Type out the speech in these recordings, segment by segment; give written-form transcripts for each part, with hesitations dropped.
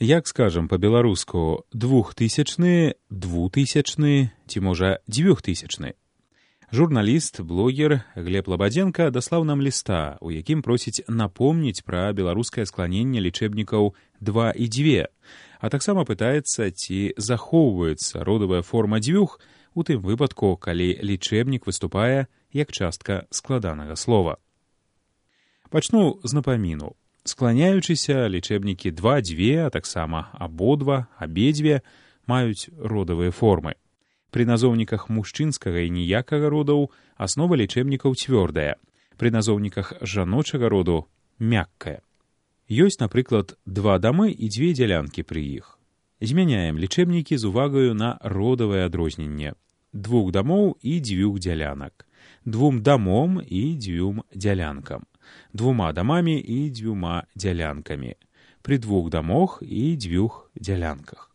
Як скажам па-беларуску двухтысячны, двутысячны ці можа дзвюхтысячны. Журналіст, блогер Глеб Лабадзенка даслаў нам ліста, у якім просіць напомніць пра беларускае скланенне лічэбнікаў 2 і 2, а таксама пытаецца, ці захоўваецца родавая форма дзвюх у тым выпадку, калі лічэбнік выступае як частка складанага слова. Пачну з напаміну. Скланяючыся, лічэбнікі 2, 2, а таксама абодва, абедзве маюць родавыя формы. Пры назоўніках мужчынскага і ніякага родаў аснова лічэбнікаў цвёрдая, пры назоўніках жаночага роду мяккая. Ёсць, напрыклад, 2 дамы і 2 дзялянкі пры іх. Змяняем лічэбнікі з увагаю на родавае адрозненне. 2 дамоў і 2 дзялянак, 2 дамом і 2 дзялянкам, 2 дамамі і 2 дзялянкамі, пры 2 дамох і 2 дзялянках.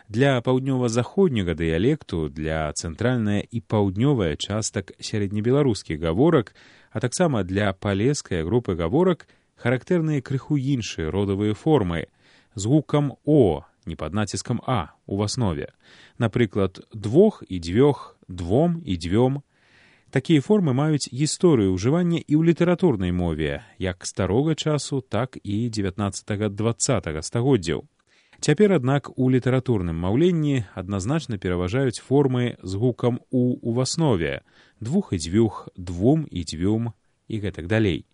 Для паўднёва-заходняга дыялекту, для цэнтральная і паўднёвая частак сярэднебеларускіх гаворак, а таксама для палескай групы гаворак характэрныя крыху іншыя родавыя формы з гукам «о», не пад націскам «а» у аснове. Напрыклад, 2 і 2, 2 і 2. Такія формы маюць гісторыю ўжывання і ў літаратурнай мове, як старога часу, так і 19-20 стагоддзяў. Цяпер, аднак, у літаратурным маўленні адназначна пераважаюць формы з гукам «у» у аснове, 2 і 2, 2 і 2 і гэтак далей.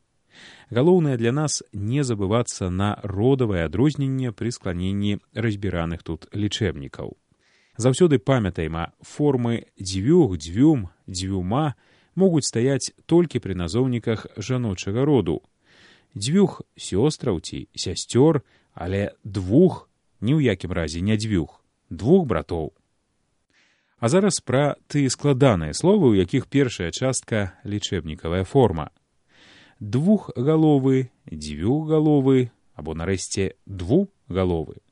Галоўнае для нас не забывацца на родавае адрозненне пры скланенні разбіраных тут лічэбнікаў. Заўсёды памятайма, формы дзвюх, дзвюм, дзвюма могуць стаяць толькі пры назоўніках жаночага роду. Дзвюх сёстраў ці сясцёр, але 2 ні ў якім разе не 2, 2 братоў. А зараз пра тыя складаныя словы, у якіх першая частка лічэбнікавая форма. 2галовы, 2галовы або, нарэшце, 2галовы.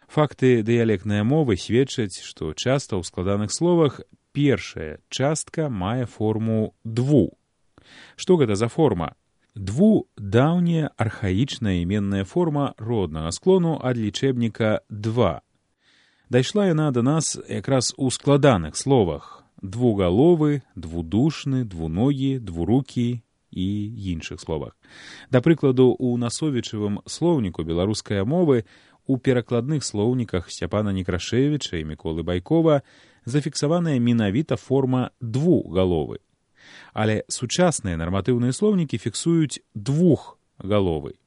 Факты дыялектнай мовы сведчаць, што часта ў складаных словах першая частка мае форму 2. Што гэта за форма? 2 – даўняя архаічная іменная форма роднага склону ад лічэбніка 2. Дайшла яна да нас якраз у складаных словах: двугаловы, двудушны, двуногі, двурукі і іншых словах. Да прыкладу, у насовічавым слоўніку беларускай мовы у перакладных слоўніках Сцяпана Некрашевіча і Міколы Байкова зафіксаваная менавіта форма 2галовы. Але сучасныя нарматыўныя слоўнікі фіксуюць 2галовы.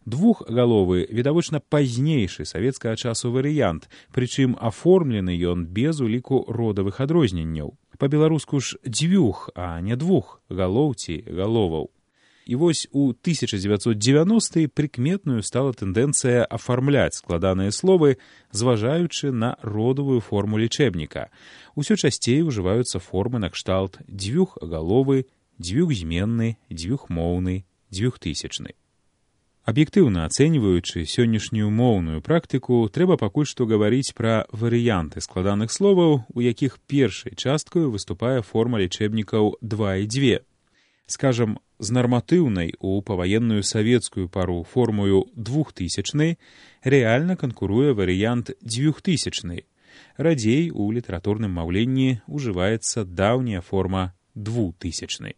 2галовы відавочна пазнейшы савецкага часу варыянт, прычым аформлены ён без уліку родавых адрозненняў. Па-беларуску ж 2, а не 2 галоў ці галоваў. І вось у 1990-е прыкметную стала тэндэнцыя афармляць складаныя словы, зважаючы на родавую форму лічэбніка. Усё часцей ужываюцца формы накшталт 2галовы, 2зменны, 2моўны, 2000. Аб'ектыўна ацэньваючы сённяшнюю моўную практыку, трэба пакуль што гаварыць пра варыянты складаных словаў, у якіх першай часткаю выступае форма лічэбнікаў 2 і 2. Скажам, з нарматыўнай у паваенную савецкую пару формою 2000 рэальна канкуруе варыянт 2000. Радзей у літаратурным маўленні ўжываецца даўняя форма 2000.